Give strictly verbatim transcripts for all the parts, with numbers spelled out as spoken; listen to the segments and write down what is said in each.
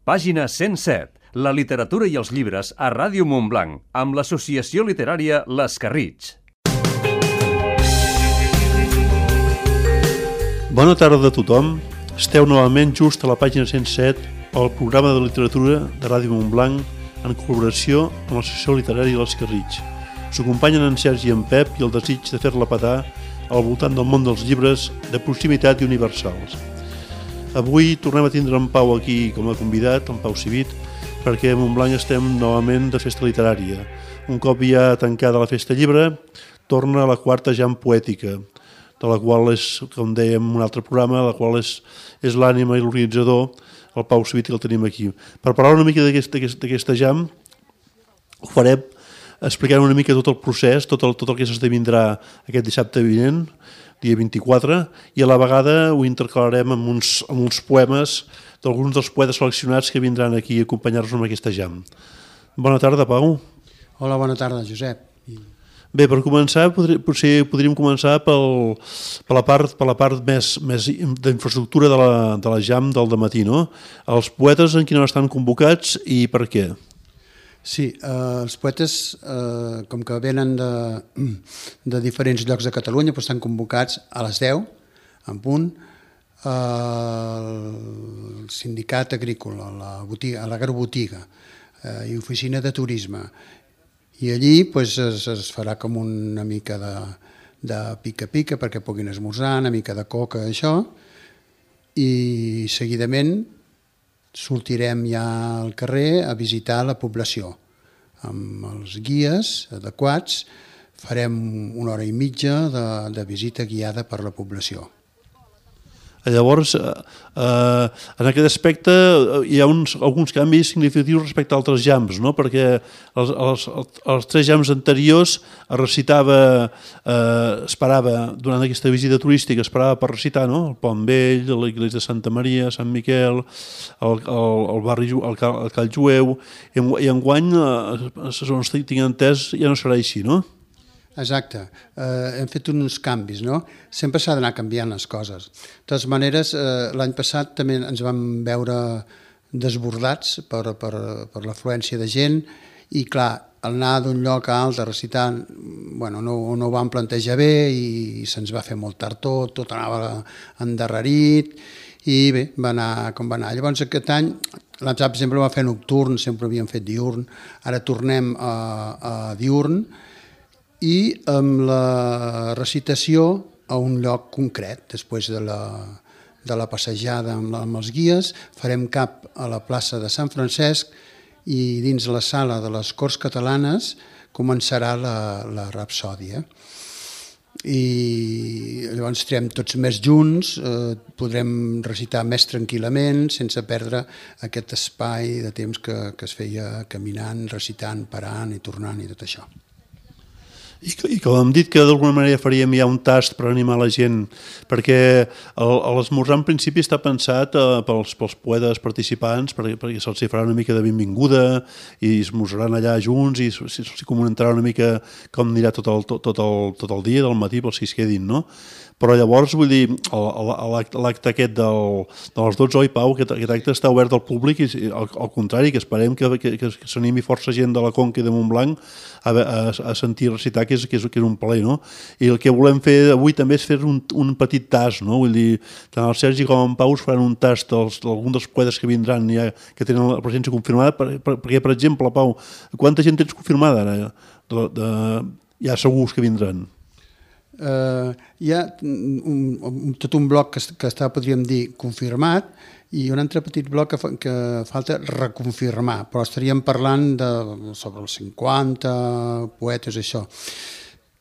Pàgina cent set. La literatura i els llibres a Ràdio Montblanc, amb l'associació literària l'Escarritx. Bona tarda a tothom. Esteu novament just a la pàgina cent set, al programa de literatura de Ràdio Montblanc, en col·laboració amb l'associació literària l'Escarritx. Us acompanyen en Sergi i en Pep i el desig de fer-la petar al voltant del món dels llibres de proximitat i universals. Avui tornem a tindre en Pau aquí com a convidat, en Pau Civit, perquè a Montblanc estem novament de festa literària. Un cop ja tancada la festa llibre, torna a la quarta jam poètica, de la qual és, com dèiem en un altre programa, la qual és, és l'ànima i l'organitzador, el Pau Civit, que el tenim aquí. Per parlar una mica d'aquesta jam, ho farem explicant una mica tot el procés, tot el, tot el que s'esdevindrà aquest dissabte vinent, dia vint-i-quatre, i a la vegada ho intercalarem amb uns, amb uns poemes d'alguns dels poetes seleccionats que vindran aquí a acompanyar-nos en aquesta jam. Bona tarda, Pau. Hola, bona tarda, Josep. Bé, per començar, podri, potser podríem començar pel, per la part, per la part més, més d'infraestructura de la, de la jam del dematí, no? Els poetes en quina hora estan convocats i per què? Sí, eh, els poetes, eh, com que venen de, de diferents llocs de Catalunya, doncs estan convocats a les deu, en punt, al sindicat agrícola, a la, botiga, a l'agrobotiga eh, i oficina de turisme. I allí pues, es, es farà com una mica de, de pica-pica perquè puguin esmorzar, una mica de coca, això, i seguidament sortirem ja al carrer a visitar la població. Amb els guies adequats farem una hora i mitja de, de visita guiada per la població. Llavors, eh, en aquest aspecte hi ha uns, alguns canvis significatius respecte a altres jams, no? Perquè els, els, els tres jams anteriors es recitava, eh, esperava, durant aquesta visita turística, esperava per recitar, no? El Pont Vell, l'església de Santa Maria, Sant Miquel, el, el, el barri, el, el Call Jueu, i, i enguany, eh, segons tinc entès, ja no serà així, no? Exacte, eh, hem fet uns canvis, no? Sempre s'ha d'anar canviant les coses. De totes maneres, eh, l'any passat també ens vam veure desbordats per, per, per l'afluència de gent i, clar, al anar d'un lloc a altre recitant, bueno, no, no ho vam plantejar bé i se'ns va fer molt tard tot, tot anava endarrerit i bé, va anar com va anar. Llavors aquest any, l'any passat sempre va fer nocturn, sempre havíem fet diurn, ara tornem a, a diurn, i amb la recitació a un lloc concret. Després de la, de la passejada amb, la, amb els guies farem cap a la plaça de Sant Francesc i dins la sala de les Corts Catalanes començarà la, la rapsòdia. I llavors estarem tots més junts, eh, podrem recitar més tranquil·lament sense perdre aquest espai de temps que, que es feia caminant, recitant, parant i tornant i tot això. I, I com hem dit que d'alguna manera faríem ja un tast per animar la gent, perquè l'esmorzar en principi està pensat eh, pels, pels poetes participants, perquè, perquè se'ls farà una mica de benvinguda i esmorzaran allà junts i se'ls comentarà una mica com anirà tot el, tot, tot, el, tot el dia del matí pels que es quedin, no? Però llavors, vull dir, l'acte aquest del, de les dotze, oi, Pau, aquest, aquest acte està obert al públic i al, al contrari, que esperem que, que, que s'animi força gent de la Conca i de Montblanc a, a, a sentir recitar, que és, que, és, que és un plaer, no? I el que volem fer avui també és fer un, un petit tast, no? Vull dir, tant el Sergi com en Pau faran un tast d'alguns dels poetes que vindran ja, que tenen la presència confirmada, per, per, perquè, per exemple, Pau, quanta gent tens confirmada ara? De, de, ja segurs que vindran. Uh, hi ha un, un, tot un bloc que, que està, podríem dir, confirmat i un altre petit bloc que, fa, que falta reconfirmar, però estaríem parlant de, sobre els cinquanta poetes, això.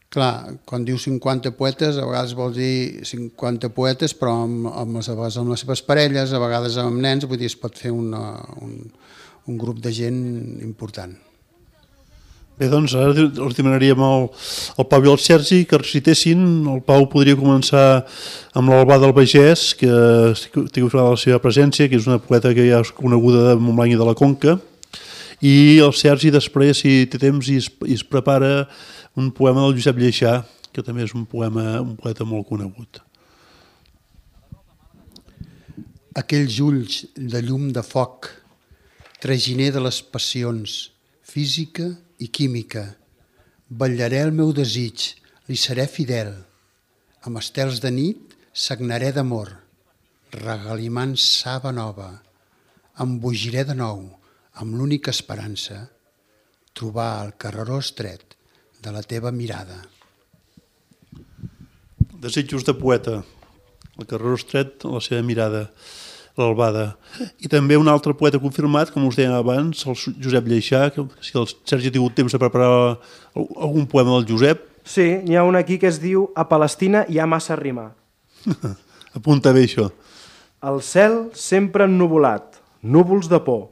Clar, quan diu cinquanta poetes, a vegades vol dir cinquanta poetes, però amb, amb, les, amb les seves parelles, a vegades amb nens, vull dir, es pot fer una, un, un grup de gent important. Bé, doncs ara els demanaríem al, al Pau i al Sergi que recitessin. El Pau podria començar amb l'Albà del Bagès, que té la seva presència, que és una poeta que ja és coneguda de Montblanc i de la Conca, i el Sergi després, si té temps, i es, i es prepara un poema del Josep Lleixà, que també és un poema, un poeta molt conegut. Aquells ulls de llum de foc traginer de les passions, física i química. Vetllaré el meu desig, li seré fidel. Amb estels de nit sagnaré d'amor, regalimant saba nova. Embogiré de nou, amb l'única esperança, trobar el carreró estret de la teva mirada. Desitjos de poeta, el carreró estret, la seva mirada, l'albada. I també un altre poeta confirmat, com us deia abans, el Josep Lleixà, que si el Sergi ha tingut temps de preparar algun poema del Josep. Sí, n'hi ha un aquí que es diu A Palestina hi ha massa rima. Apunta bé això. El cel sempre ennuvolat, núvols de por.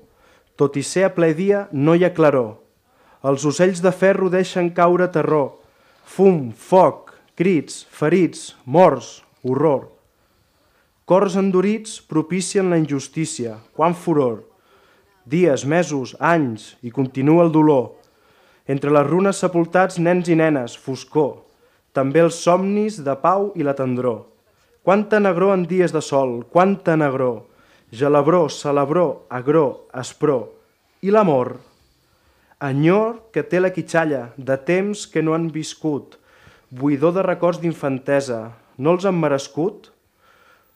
Tot i ser a ple dia no hi ha claror. Els ocells de ferro deixen caure terror. Fum, foc, crits, ferits, morts, horror. Cors endurits propicien la injustícia, quan furor. Dies, mesos, anys, i continua el dolor. Entre les runes sepultats nens i nenes, foscor. També els somnis de pau i la tendror. Quanta negror en dies de sol, quanta negror. Gelabró, celebró, agró, espró. I l'amor? Enyor que té la quitxalla, de temps que no han viscut. Buidor de records d'infantesa, no els han merescut?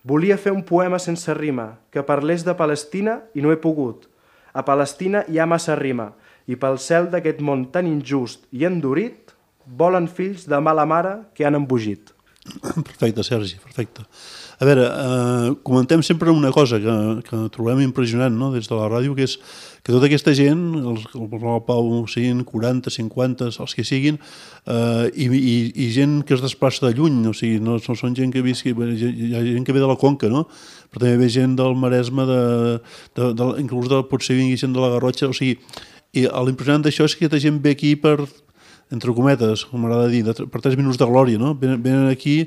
Volia fer un poema sense rima, que parlés de Palestina i no he pogut. A Palestina hi ha massa rima, i pel cel d'aquest món tan injust i endurit, volen fills de mala mare que han embogit. Perfecte, Sergi, perfecte. A veure, eh, comentem sempre una cosa que, que trobem impressionant, no?, des de la ràdio, que és que tota aquesta gent, els, el Pau siguin quaranta, cinquanta, els que siguin, eh, i, i, i gent que es desplaça de lluny, o sigui, no, no són gent que visqui, hi ha gent que ve de la Conca, no?, però també ve gent del Maresme, de, de, de, inclús de, potser vingui gent de la Garrotxa, o sigui, i l'impressionant d'això és que aquesta gent ve aquí per, entre cometes, com m'agrada dir, de, per tres minuts de glòria, no?, venen, venen aquí.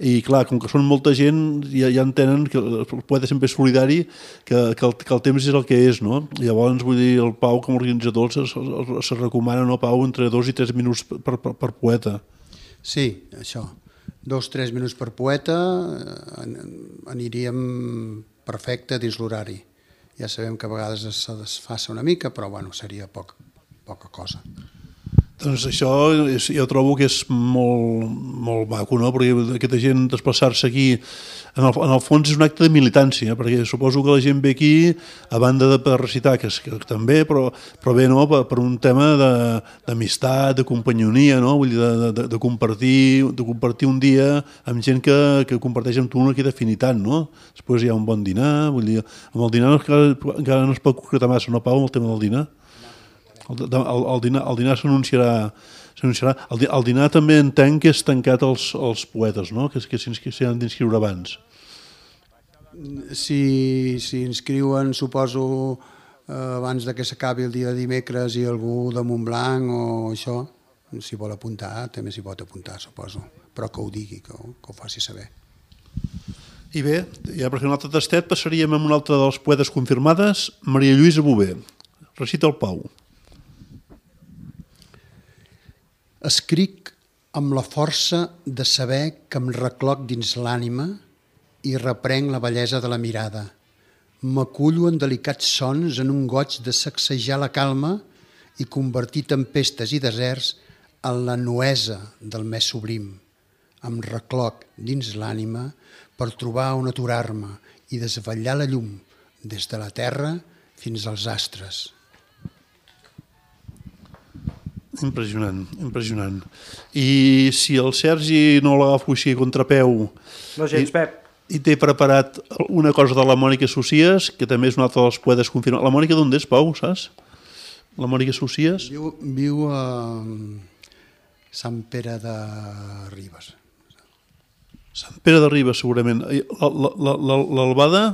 I clar, com que són molta gent, ja, ja entenen que el poeta sempre és solidari, que, que, el, que el temps és el que és, no? I llavors, vull dir, el Pau, com a organitzador, se, se, se recomana, no, Pau, entre dos i tres minuts per, per, per poeta. Sí, això. Dos, tres minuts per poeta, aniríem perfecte dins l'horari. Ja sabem que a vegades es desfassa una mica, però bueno, seria poc, poca cosa. Doncs això és, jo trobo que és molt, molt maco, no?, perquè aquesta gent desplaçar-se aquí, en el, en el fons és un acte de militància, perquè suposo que la gent ve aquí a banda de per recitar, que, que també, però, però bé, no?, per, per un tema d'amistat, de, de companyonia, no?, vull dir, de, de, de, compartir, de compartir un dia amb gent que, que comparteix amb tu una aquesta afinitat, no? Després hi ha un bon dinar, vull dir, amb el dinar encara, encara no es pot concretar massa, no, Pau, amb el tema del dinar? El, el, el dinar, el dinar s'anunciarà. El, el dinar també entenc que és tancat als, als poetes, no?, que, que s'hi han d'inscriure abans. Si, si inscriuen, suposo, eh, abans de que s'acabi el dia de dimecres i algú de Montblanc o això, si vol apuntar, també s'hi pot apuntar, suposo, però que ho digui, que ho, que ho faci saber. I bé, ja per fer un altre tastet passaríem a un altre dels poetes confirmades, Maria Lluïsa Bové. Recita el Pau. Escric amb la força de saber que em recloc dins l'ànima i reprenc la bellesa de la mirada. M'acullo en delicats sons en un goig de sacsejar la calma i convertir tempestes i deserts en la nuesa del més sublim. Em recloc dins l'ànima per trobar on aturar-me i desvetllar la llum des de la terra fins als astres. Impressionant, impressionant. I si el Sergi no l'agafo així a contrapeu... No gens, Pep. I té preparat una cosa de la Mònica Socies, que també és un altre dels poetes confirmats. La Mònica d'on és, Pau, saps? La Mònica Socies? Viu, viu a Sant Pere de Ribes. Sant Pere de Ribes, segurament. L'Albada?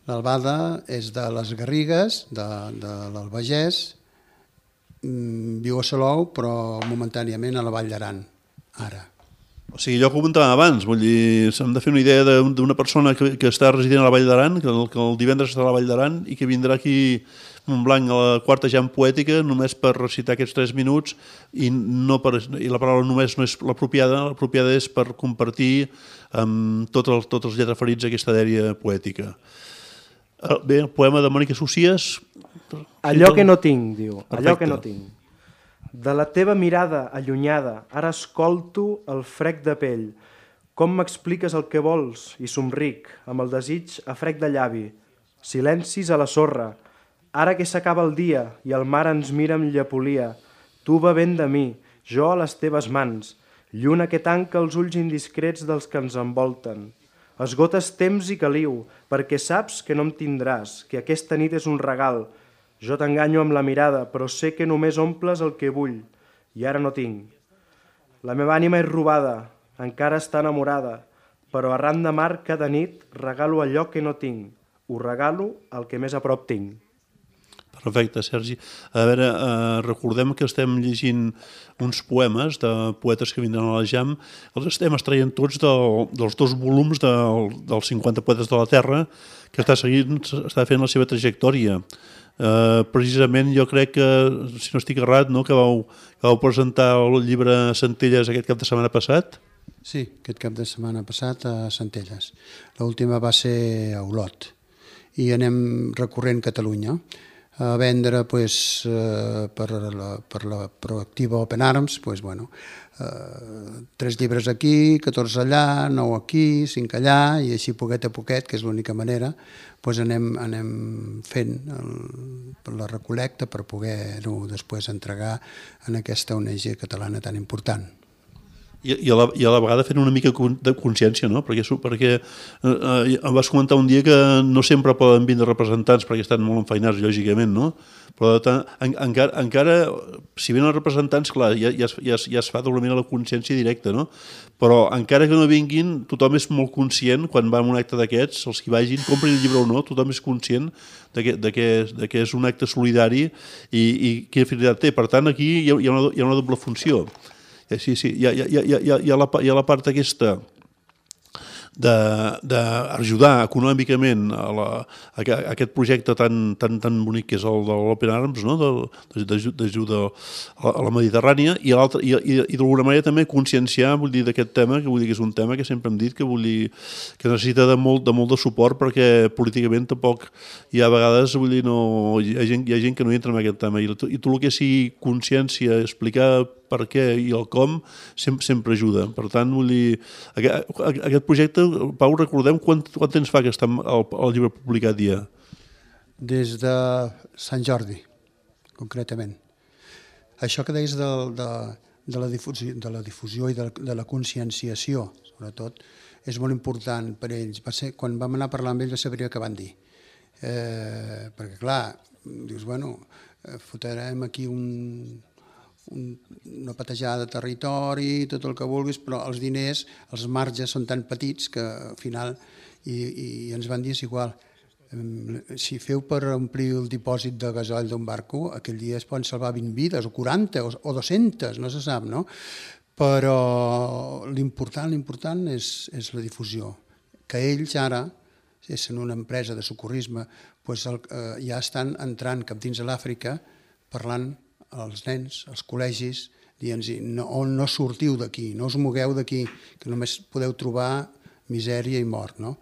L'Albada és de les Garrigues, de, de l'Albagès. Viu a Salou, però momentàniament a la Vall d'Aran, ara. O sigui, allò que comentàvem abans, vull dir, s'hem de fer una idea d'una persona que, que està resident a la Vall d'Aran, que, el, que el divendres està a la Vall d'Aran i que vindrà aquí a Montblanc a la quarta jam poètica només per recitar aquests tres minuts i, no per, i la paraula només no és l'apropiada, l'apropiada és per compartir amb tots els, tots els lletraferits aquesta dèria poètica. Bé, el poema de Mònica Socies, Allò que no tinc, diu, allò que no tinc. De la teva mirada allunyada, ara escolto el frec de pell. Com m'expliques el que vols? I somric, amb el desig a frec de llavi. Silencis a la sorra. Ara que s'acaba el dia i el mar ens mira amb llepolia, tu bevent de mi, jo a les teves mans, lluna que tanca els ulls indiscrets dels que ens envolten. Esgotes temps i caliu, perquè saps que no em tindràs, que aquesta nit és un regal. Jo t'enganyo amb la mirada, però sé que només omples el que vull, i ara no tinc. La meva ànima és robada, encara està enamorada, però arran de mar cada nit regalo allò que no tinc. Ho regalo el que més a prop tinc. Perfecte, Sergi. A veure, eh, recordem que estem llegint uns poemes de poetes que vindran a la Jam. Els estem extraient tots del, dels dos volums del, dels cinquanta poetes de la Terra, que està seguint, està fent la seva trajectòria. Eh, precisament jo crec que, si no estic errat, no, que vau, que vau presentar el llibre Centelles aquest cap de setmana passat. Sí, aquest cap de setmana passat a Centelles. L'última va ser a Olot i anem recorrent Catalunya a vendre pues, eh, per, la, per la proactiva Open Arms, pues, bueno, eh, tres llibres aquí, catorze allà, nou aquí, cinc allà, i així poquet a poquet, que és l'única manera, pues anem, anem fent el, la recol·lecta per poder-ho després entregar en aquesta O N G catalana tan important. I, i, a la, I a la vegada fent una mica de consciència, no? Perquè, perquè eh, em vas comentar un dia que no sempre poden vindre representants perquè estan molt enfeinats, lògicament, no? Però en, encara, encara, si venen els representants, clar, ja, ja, ja, ja es fa doblement a la consciència directa, no? Però encara que no vinguin, tothom és molt conscient, quan va a un acte d'aquests, els que vagin, comprin el llibre o no, tothom és conscient de que, de que, de que és un acte solidari i, i quina finalitat té. Per tant, aquí hi ha, hi ha, una, hi ha una doble funció. Sí, sí, hi ha, hi ha, hi ha, hi ha, la, hi ha la part aquesta d'ajudar econòmicament a, la, a aquest projecte tan, tan, tan bonic que és el de l'Open Arms, no? d'ajuda a la Mediterrània, i, i, i, i d'alguna manera també conscienciar, vull dir, d'aquest tema, que vull dir que és un tema que sempre hem dit que, vull dir, que necessita de molt, de molt de suport, perquè políticament tampoc hi ha vegades, vull dir, no, hi ha gent, hi ha gent que no entra en aquest tema, i, i tot el que sigui consciència, explicar per què i el com, sempre, sempre ajuda. Per tant, vull dir, aquest, aquest projecte, Pau, recordem quant, quant temps fa que està el, el llibre publicat ja? Des de Sant Jordi, concretament. Això que deies de, de, de, la difusió, de la difusió i de, de la conscienciació, sobretot, és molt important per ells. Va ser, quan vam anar a parlar amb ells va saber què van dir. Eh, perquè, clar, dius, bueno, fotrem aquí un... una patejada de territori, tot el que vulguis, però els diners, els marges són tan petits que al final, i, i ens van dir és igual, si feu per omplir el dipòsit de gasoil d'un barco, aquell dia es poden salvar vint vides, o quaranta, o, o dues-centes, no se sap, no? Però l'important, l'important és, és la difusió. Que ells ara, sent una empresa de socorrisme, pues el, eh, ja estan entrant cap dins de l'Àfrica parlant als nens, als col·legis, dient-los no, no sortiu d'aquí, no us mogueu d'aquí, que només podeu trobar misèria i mort. No?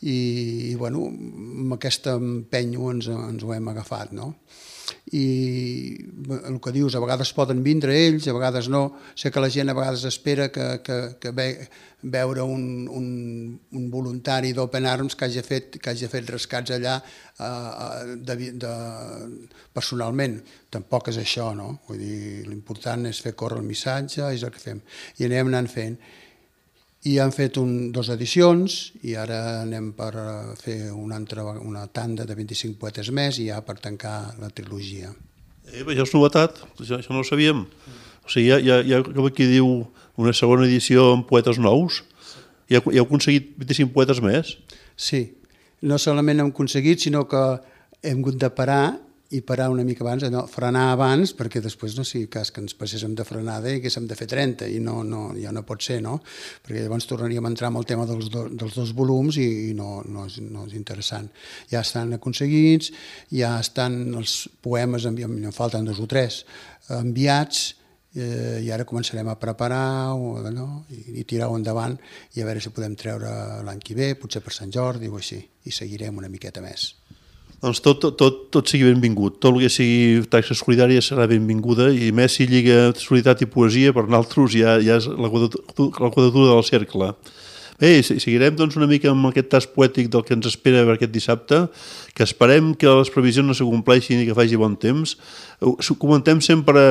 I, i bueno, amb aquesta empenyo ens, ens ho hem agafat. No? I el que dius, a vegades poden vindre ells, a vegades no. Sé que la gent a vegades espera que, que, que ve, veure un, un, un voluntari d'Open Arms que hagi fet, que hagi fet rescats allà eh, de, de, personalment. Tampoc és això, no? Vull dir, l'important és fer córrer el missatge, és el que fem. I anem anant fent. I han fet un, dos edicions i ara anem per fer una, altra, una tanda de vint-i-cinc poetes més i ja per tancar la trilogia. Eh, això és novetat, això, això no ho sabíem. O sigui, hi ha, hi ha com aquí diu una segona edició amb poetes nous. I heu, heu aconseguit vint-i-cinc poetes més? Sí, no solament hem aconseguit, sinó que hem hagut de parar i parar una mica abans, no, frenar abans, perquè després no sigui cas que ens passéssim de frenada i que haguéssim de fer trenta, i no, no, ja no pot ser, no? Perquè llavors tornaríem a entrar en el tema dels, do, dels dos volums i, i no, no, és, no és interessant. Ja estan aconseguits, ja estan els poemes, en, en falten dos o tres, enviats, eh, i ara començarem a preparar o, no? I, i tirar-ho endavant i a veure si podem treure l'any que ve, potser per Sant Jordi o així, i seguirem una miqueta més. Doncs tot, tot, tot, tot sigui benvingut. Tot el que sigui taxa solidària serà benvinguda i més si lliga solidaritat i poesia, per nosaltres ja, ja és la quadratura del cercle. Bé, seguirem doncs, una mica amb aquest tas poètic del que ens espera per aquest dissabte, que esperem que les previsions no s'acompleixin i que faci bon temps. Comentem sempre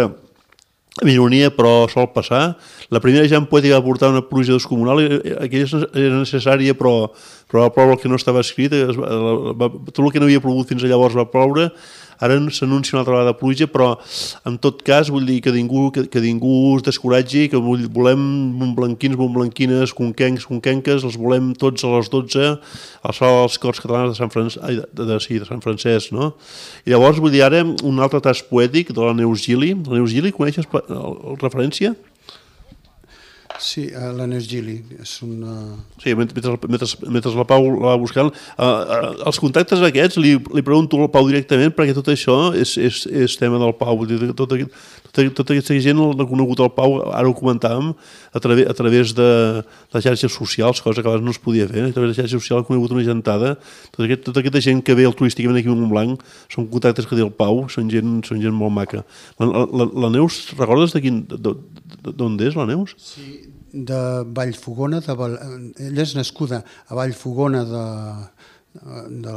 amb ironia, però sol passar. La primera ja en poètica va portar una pluja descomunal, aquella era necessària, però, però va ploure el que no estava escrit, tot el que no havia plogut fins llavors va ploure, ara s'anuncia una altra vegada pluja, però en tot cas vull dir que ningú, que, que ningú es descoratgi, que volem montblanquins, montblanquines, conquencs, conquenques, els volem tots a les dotze, al sala dels Corts Catalans de Sant, Fran... de, de, sí, de Sant Francesc, no? I llavors vull dir ara un altre tas poètic de la Neus Gili. La Neus Gili, coneixes la referència? Sí, la Neus Gili és una... Sí, mentre, mentre, mentre la Pau la va buscant, uh, uh, els contactes aquests li, li pregunto al Pau directament perquè tot això és, és, és tema del Pau. Tota, tota, tota aquesta gent l'ha conegut el Pau, ara ho comentàvem, a, través, a través de les xarxes socials, cosa que abans no es podia fer. A través de les xarxes socials ha conegut una gentada. Tota, aquest, tota aquesta gent que ve altruísticament aquí a Montblanc són contactes que té el Pau, són gent, són gent molt maca. La, la, la Neus, recordes de quin, d'on és la Neus? Sí, de Vallfogona, de Val... ella és nascuda a Vallfogona de, de,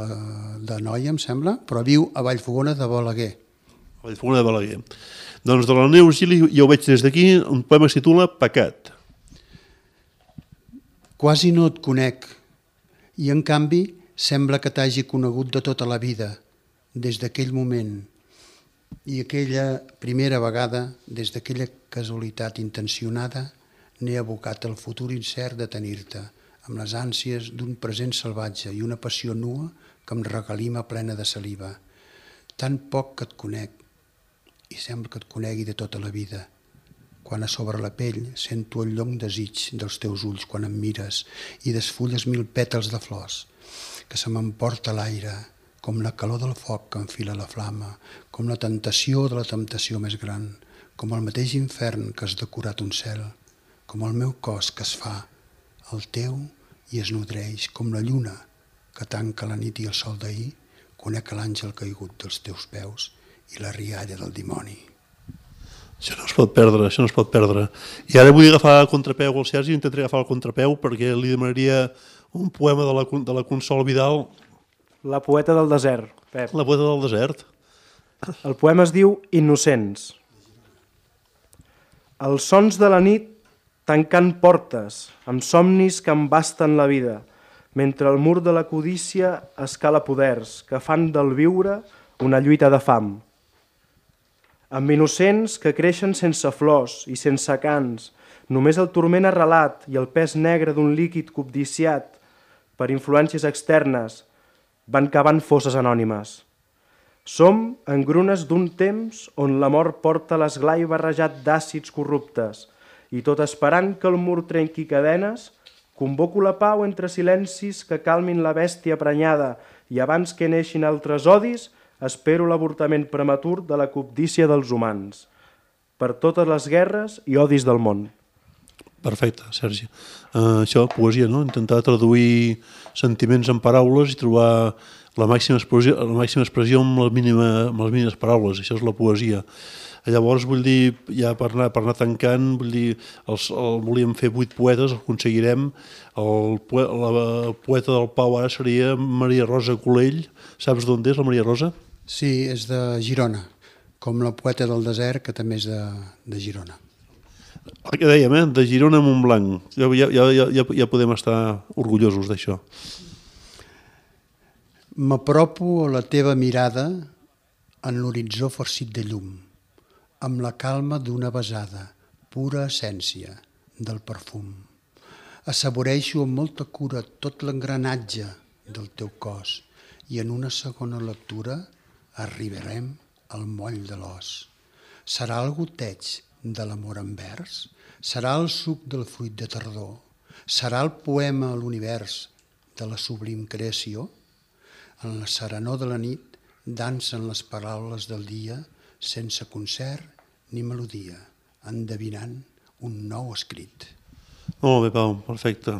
de Noia, em sembla, però viu a Vallfogona de Balaguer. Vallfogona de Balaguer. Doncs de la Neus Gili, ja ho veig des d'aquí, un poema que es titula Pecat. Quasi no et conec, i en canvi sembla que t'hagi conegut de tota la vida, des d'aquell moment, i aquella primera vegada, des d'aquella casualitat intencionada, n'he abocat el futur incert de tenir-te, amb les ànsies d'un present salvatge i una passió nua que em regalima plena de saliva. Tan poc que et conec, i sembla que et conegui de tota la vida. Quan a sobre la pell sento el llong desig dels teus ulls quan em mires i desfulles mil pètals de flors, que se m'emporta l'aire, com la calor del foc que enfila la flama, com la tentació de la temptació més gran, com el mateix infern que has decorat un cel, com el meu cos que es fa el teu i es nodreix, com la lluna que tanca la nit i el sol d'ahir, conec l'àngel caigut dels teus peus i la rialla del dimoni. Això no es pot perdre, això no es pot perdre. I ara vull agafar el contrapeu al Sergi, intentaré agafar el contrapeu perquè li demanaria un poema de la, de la Consol Vidal. La poeta del desert, Pep. La poeta del desert. El poema es diu Innocents. Els sons de la nit tancant portes, amb somnis que embasten la vida, mentre el mur de la codícia escala poders que fan del viure una lluita de fam. Amb innocents que creixen sense flors i sense cants, només el turment arrelat i el pes negre d'un líquid cobdiciat per influències externes van cavant fosses anònimes. Som engrunes d'un temps on la mort porta l'esglai barrejat d'àcids corruptes, i tot esperant que el mur trenqui cadenes, convoco la pau entre silencis que calmin la bèstia prenyada i abans que neixin altres odis, espero l'avortament prematur de la cobdícia dels humans, per totes les guerres i odis del món. Perfecte, Sergi. Uh, això, poesia, no? Intentar traduir sentiments en paraules i trobar la màxima expressió, la màxima expressió amb, la mínima, amb les mínimes paraules. Això és la poesia. Llavors, vull dir, ja per anar, per anar tancant, vull dir, els, el, volíem fer vuit poetes, el aconseguirem. El, la poeta del Pau ara seria Maria Rosa Colell. Saps d'on és la Maria Rosa? Sí, és de Girona, com la poeta del desert, que també és de, de Girona. El que dèiem, eh? De Girona a Montblanc. Ja, ja, ja, ja, ja podem estar orgullosos d'això. M'apropo a la teva mirada en l'horitzó farcit de llum, amb la calma d'una besada, pura essència del perfum. Assaboreixo amb molta cura tot l'engranatge del teu cos i en una segona lectura arribarem al moll de l'os. Serà el goteig de l'amor en vers? Serà el suc del fruit de tardor? Serà el poema a l'univers de la sublim creació? En la serenor de la nit dansen les paraules del dia sense concert ni melodia, endevinant un nou escrit. Molt bé, Pau, perfecte.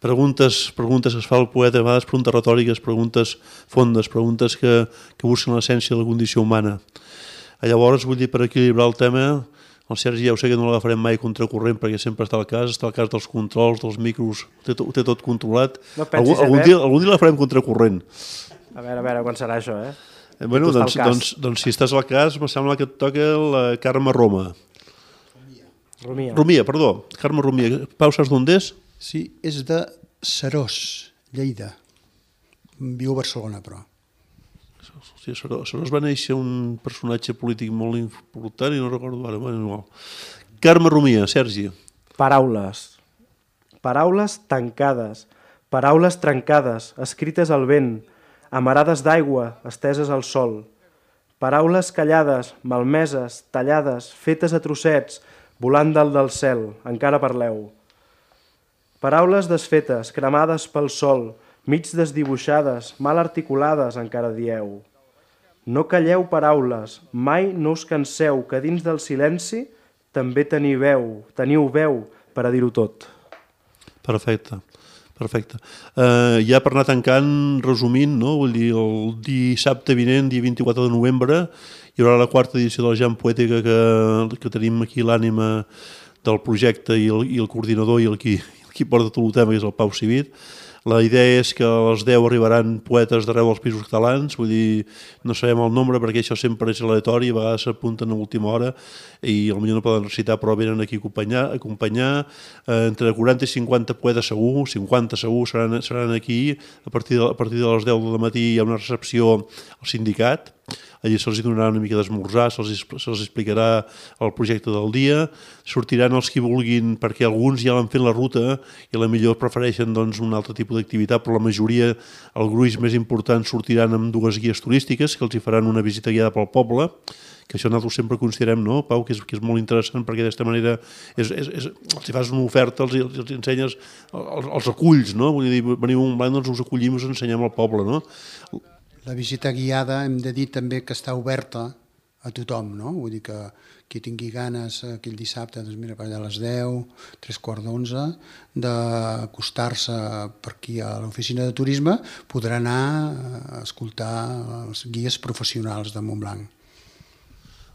Preguntes, preguntes que es fa el poeta, a vegades preguntes retòriques, preguntes fondes, preguntes que, que busquen l'essència de la condició humana. Llavors, vull dir, per equilibrar el tema, el Sergi ja ho sé que no l'agafarem mai contracorrent perquè sempre està al cas, està al cas dels controls, dels micros, ho té, ho té tot controlat. No pensis, algun, algun, dia, algun dia la farem contracorrent. A veure, a veure, quan serà això, eh? eh bueno, doncs, doncs, doncs si estàs al cas, em sembla que et toca la Carme Roma. Rumia. Rumia, perdó, Carme Rumia. Pau, saps d'on és? Sí, és de Serós, Lleida. Viu a Barcelona, però. Sí, Serós, Serós va néixer un personatge polític molt important i no recordo ara. Bueno, Carme Rumia, Sergi. Paraules. Paraules tancades, paraules trencades, escrites al vent, amarades d'aigua, esteses al sol. Paraules callades, malmeses, tallades, fetes a trossets, volant dalt del cel, encara parleu. Paraules desfetes, cremades pel sol, mig desdibuixades, mal articulades, encara dieu. No calleu paraules, mai no us canseu, que dins del silenci també teniu veu, teniu veu per a dir-ho tot. Perfecte, perfecte. Uh, ja per anar tancant, resumint, no? Vull dir, el dissabte vinent, dia vint-i-quatre de novembre, hi haurà la quarta edició de la Jam Poètica que, que tenim aquí l'ànima del projecte i el, i el coordinador i el qui, qui porta tot el tema, que és el Pau Civit. La idea és que a les deu arribaran poetes d'arreu dels països catalans, vull dir, no sabem el nombre perquè això sempre és aleatori, a vegades s'apunten a última hora i potser no poden recitar però venen aquí a acompanyar, a acompanyar. Eh, entre quaranta i cinquanta poetes segur, cinquanta segur seran, seran aquí, a partir, de, a partir de les deu del matí hi ha una recepció al sindicat, allà se'ls donarà una mica d'esmorzar, se'ls se explicarà el projecte del dia, sortiran els que vulguin, perquè alguns ja l'han fet la ruta i a la millor prefereixen doncs, un altre tipus d'activitat, però la majoria, el gruix més important, sortiran amb dues guies turístiques que els hi faran una visita guiada pel poble, que això nosaltres sempre considerem, no, Pau, que és, que és molt interessant perquè d'aquesta manera és, és, és, els hi fas una oferta, els, els ensenyes, els, els aculls, no? Vull dir, veniu a Montblanc, doncs us acollim i us ensenyem al poble, no? La visita guiada hem de dir també que està oberta a tothom, no? Vull dir que qui tingui ganes aquell dissabte, doncs mira, per allà a les deu, tres quarts d'onze, d'acostar-se per aquí a l'oficina de turisme, podrà anar a escoltar els guies professionals de Montblanc.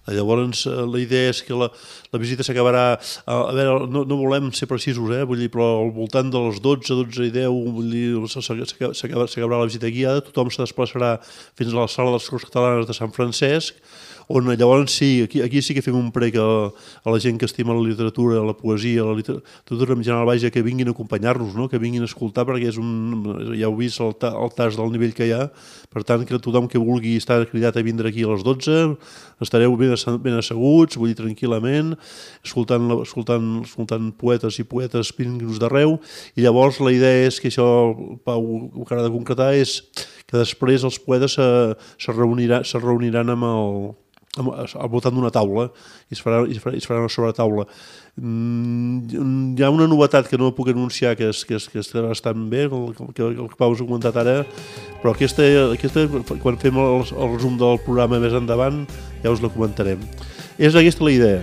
Llavors, la idea és que la, la visita s'acabarà, a veure, no, no volem ser precisos, eh? Vull dir, però al voltant de les dotze, dotze i deu, vull dir, s'acabarà la visita guiada, tothom se desplaçarà fins a la sala de les Corts Catalanes de Sant Francesc, on llavors sí, aquí, aquí sí que fem un prec a, a la gent que estima la literatura, la poesia, la literatura en general, vaja, que vinguin a acompanyar-nos, no? Que vinguin a escoltar, perquè és un, ja heu vist el, ta, el tas del nivell que hi ha, per tant que tothom que vulgui estar cridat a vindre aquí a les dotze, estareu ben, ben asseguts, vull dir, tranquil·lament, escoltant, escoltant, escoltant poetes i poetes vinguts d'arreu, i llavors la idea és que això, Pau, ho que ha de concretar és que després els poetes se, se, reunirà, se reuniran amb el al voltant d'una taula i es farà, es farà, es farà una sobretaula. Mm, hi ha una novetat que no puc anunciar que, és, que, és, que està bastant bé, el que, el que Pau us ha comentat ara, però aquesta, aquesta quan fem el, el resum del programa més endavant ja us la comentarem. És aquesta la idea.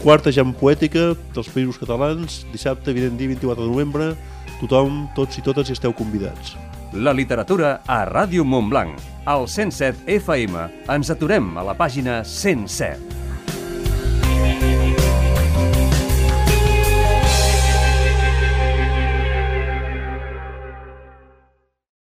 Quarta Jam Poètica dels Països Catalans, dissabte, vinent dia vint-i-quatre de novembre, tothom, tots i totes hi esteu convidats. La literatura a Ràdio Montblanc. Al cent set F M ens aturem a la pàgina cent set.